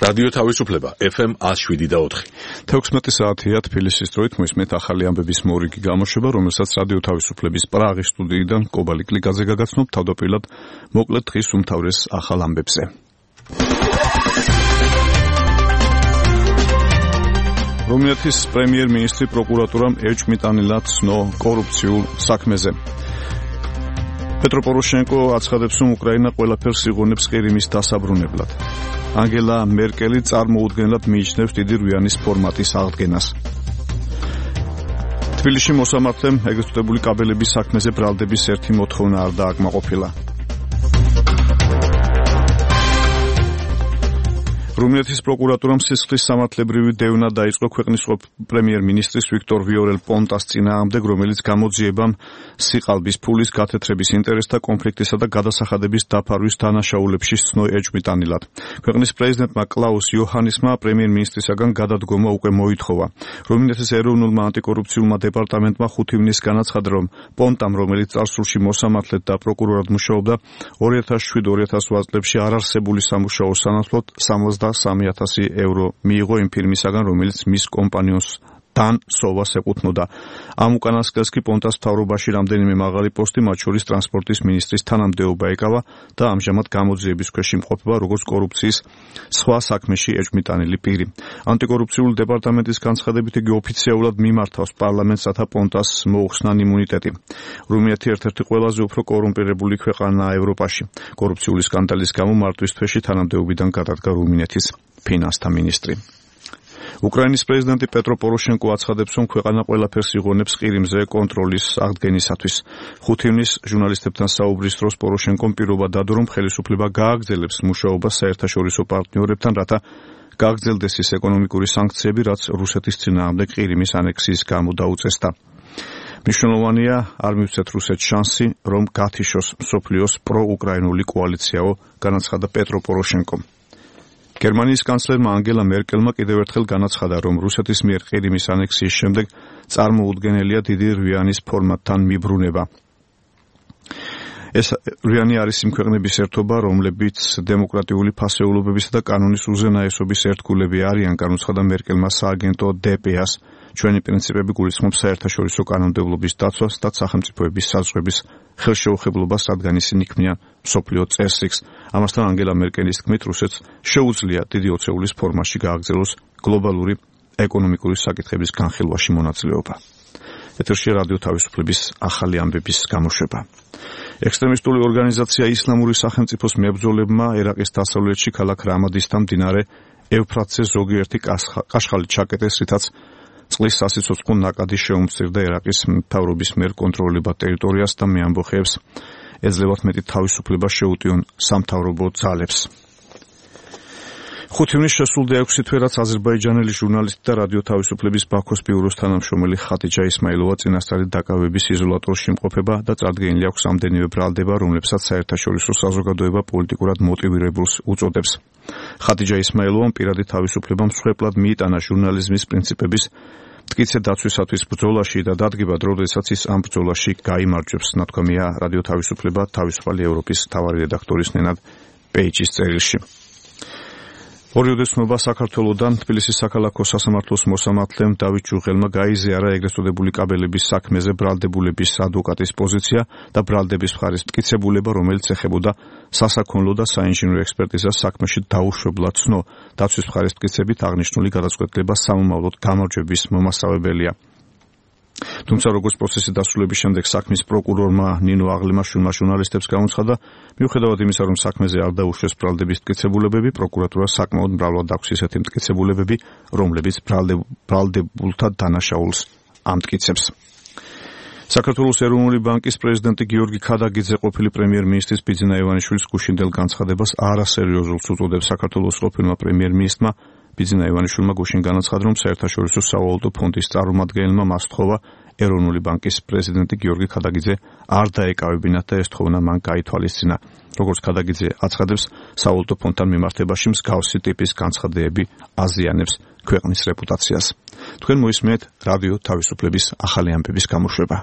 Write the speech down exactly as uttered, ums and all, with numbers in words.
რადიო თავისუფლება ეფ ემ one oh seven და four. თექვსმეტი საათია თბილისის დროით მოისმენთ ახალი ამბების მორიგი გამოშვება, რომელსაც რადიო თავისუფლების პრაღის სტუდიიდან კობალი კლიკაძე გაგაცნობ თავდაპირველად მოკლედ დღის უმთავრეს ახალ ამბებზე. რუმინეთის პრემიერ-მინისტრი პროკურატურამ ეჭვმიტანილად ცნო კორუფციულ საქმეზე. პეტრო პოროშენკო აცხადებს, რომ უკრაინა ყველაფერს იღონებს ყირიმის დასაბრუნებლად. ანგელა მერკელი წარმოუდგენლად მიიჩნევს დიდი რვიანის ფორმატის აღდგენას. თბილისში მოსამართლემ ეგრეთ წოდებული კაბელების საქმეზე ბრალდების ერთი მოთხოვნა არ დააკმაყოფილა. რუმინეთის პროკურატურამ სისხლის სამართლებრივი დევნა დაიწყო ქვეყნის პრემიერ-მინისტრის ვიქტორ ვიორელ პონტას წინააღმდეგ, რომელიც გამოძიებამ სიყალბის ფულის გათეთრების ინტერესთა კონფლიქტისა და გადასახადების დაფარვის დანაშაულებში ცნო ეჭვმიტანილად. ქვეყნის პრეზიდენტმა კლაუს იოჰანისმა პრემიერ-მინისტრისაგან გადადგომა უკვე მოითხოვა. რუმინეთის ეროვნულმა ანტიკორუფციულმა დეპარტამენტმა ხუთი ივნის განაცხადა, რომ პონტამ, რომელიც წარსულში მოსამართლედ და პროკურორად მუშაობდა, ორი ათას შვიდ ორი ათას ოთხ წლებში არარსებული სამუშაო სანაცვლოდ სამოცდასამი ათასი ევრო მიიღო იმ ფირმისაგან, რომელიც მის კომპანიონს დან სოვას ეკუთვნოდა. ამ უკანასკნელს კი პონტას მთავრობაში რამდენიმე მაღალი პოსტი, მათ შორის ტრანსპორტის მინისტრის თანამდებობა ეკავა და ამჟამად გამოძიების ქვეშ იმყოფება როგორც კორუფციის სხვა საქმეში ეჭვმიტანილი პირი. ანტიკორუფციულ დეპარტამენტის განცხადებით, იგი ოფიციალურად მიმართავს პარლამენტსა და პონტას მოუხსნან იმუნიტეტი. რუმინეთი ერთ-ერთი ყველაზე უფრო კორუმპირებული ქვეყანაა ევროპაში. კორუფციული სკანდალის გამო მარტვის თვეში თანამდებობიდან გადადგა რუმინეთის ფინანსთა მინისტრი. უკრაინის პრეზიდენტი პეტრო პოროშენკო აცხადებს, რომ ქვეყანა ყველაფერს იღონებს ყირიმზე კონტროლის აღდგენისათვის. ხუთი ივნის ჟურნალისტებთან საუბრის დროს პოროშენკომ პირობა დადო, რომ ხელისუფლება გააგრძელებს მუშაობას საერთაშორისო პარტნიორებთან, რათა გააგრძელდეს ის ეკონომიკური სანქციები, რაც რუსეთის წინააღმდეგ ყირიმის ანექსიის გამო დაუწესდა. მნიშვნელოვანია არ მივცეთ რუსეთს შანსი, რომ გათიშოს მსოფლიოს პროუკრაინული კოალიციაო, განაცხადა პეტრო პოროშენკომ. გერმანიის კანცლერმა ანგელა მერკელმა კიდევ ერთხელ განაცხადა, რომ რუსეთის მიერ ყირიმის ანექსიის შემდეგ წარმოუდგენელია დიდი რვიანის ფორმატთან მიბრუნება. ეს რვიანი არის იმ ქვეყნების ერთობა, რომლებიც დემოკრატიული ფასეულობებისა და კანონის უზენაესობის ერთგულები არიან, განუცხადა მერკელმა სააგენტო დე პე-ას. ჩვენი პრინციპები გულისხმობს საერთაშორისო კანონმდებლობის დაცვას და სახელმწიფოების საზღვრების ხელშეუხებლობას, რადგან ისინი ქმნიან მსოფლიო წესრიგს. ამასთან ანგელა მერკელის თქმით, რუსეთს შეუძლია დიდი ოცეულის ფორმაში გააგრძელოს გლობალური ეკონომიკური საკითხების განხილვაში მონაწილეობა. ეთერში რადიო თავისუფლების ახალი ამბების გამოშვება. ექსტრემისტული ორგანიზაცია ისლამური სახელმწიფოს მებრძოლებმა ერაყის დასავლეთში ქალაქ რამადისთან მდინარე ევფრატზე ზოგიერთი კაშხალი ჩაკეტეს, რითაც წყლის სასიცოცხლო ნაკადი შეუმცირდა ერაყის მთავრობის მიერ კონტროლებად ტერიტორიას და მე ამბოხებს ეძლევათ მეტი თავისუფლება შეუტიონ სამთავრობო ძალებს. ხუთი ივნის შესულდა ექვსი თვე, რაც აზერბაიჯანელი ჟურნალისტი და რადიო თავისუფლების ბაქოს ბიუროს თანამშრომელი ხატიჯა ისმაილოვა წინასწარი დაკავების იზოლატორში იმყოფება და წარდგენილი აქვს ამდენივე ბრალდება, რომლებსაც საერთაშორისო საზოგადოება პოლიტიკურად მოტივირებულს უწოდებს. ხატიჯა ისმაილოვამ პირადი თავისუფლება მსხვერპლად მიიტანა ჟურნალიზმის პრინციპების მტკიცე დაცვისათვის ბრძოლაში და დადგება დრო, როდესაც ის ამ ბრძოლაში გაიმარჯვებს, ნათქვამია რადიო თავისუფლება თავისუფალი ევროპის მთავარი რედაქტორის ნენად პეიჯის წერილში. ორი უდესნობა საქართველოდან თბილისის საქალაქო სასამართლოს მოსამართლემ დავით ჯუღელმა გაიზიარა ეგრეთ წოდებული კაბელების საქმეზე ბრალდებულების ადვოკატის პოზიცია და ბრალდების მხარის მტკიცებულება, რომელიც ეხებოდა სასაქონლო და საინჟინრო ექსპერტიზას საქმეში დაუშვებლად ცნო. დაცვის მხარის მტკიცებით აღნიშნული გადაწყვეტილება სამომავლოდ გამარჯვების მომასწავებელია. თუმცა როგორც პროცესის დასრულების შემდეგ საქმის პროკურორმა ნინო აღლიმაშვილმა ჟურნალისტებს განუცხადა, მიუხედავად იმისა, რომ საქმეზე არ დაუშვეს ბრალდების მტკიცებულებები, პროკურატურა საკმაოდ მრავლად აქვს ისეთი მტკიცებულებები, რომლებიც ბრალდებულთა დანაშაულს ამტკიცებს. საქართველოს ეროვნული ბანკის პრეზიდენტი გიორგი ქადაგიძე ყოფილი პრემიერ-მინისტრის ბიძინა ივანიშვილის გუშინდელ განცხადებას არასერიოზულს უწოდებს. საქართველოს ყოფილმა პრემიერ-მინისტრმა ბიძინა ივანიშვილმა გუშინ განაცხადა, რომ საერთაშორისო სავალუტო ფონდის წარმომადგენელმა მას თხოვა ეროვნული ბანკის პრეზიდენტი გიორგი ქადაგიძე არ დაეკავებინათ და ეს თხოვნა მან გაითვალისწინა. როგორც ქადაგიძე აცხადებს, სავალუტო ფონდთან მიმართებაში მსგავსი ტიპის განცხადებები აზიანებს ქვეყნის რეპუტაციას. თქვენ მოისმენთ რადიო თავისუფლების ახალი ამბების გამოშვება.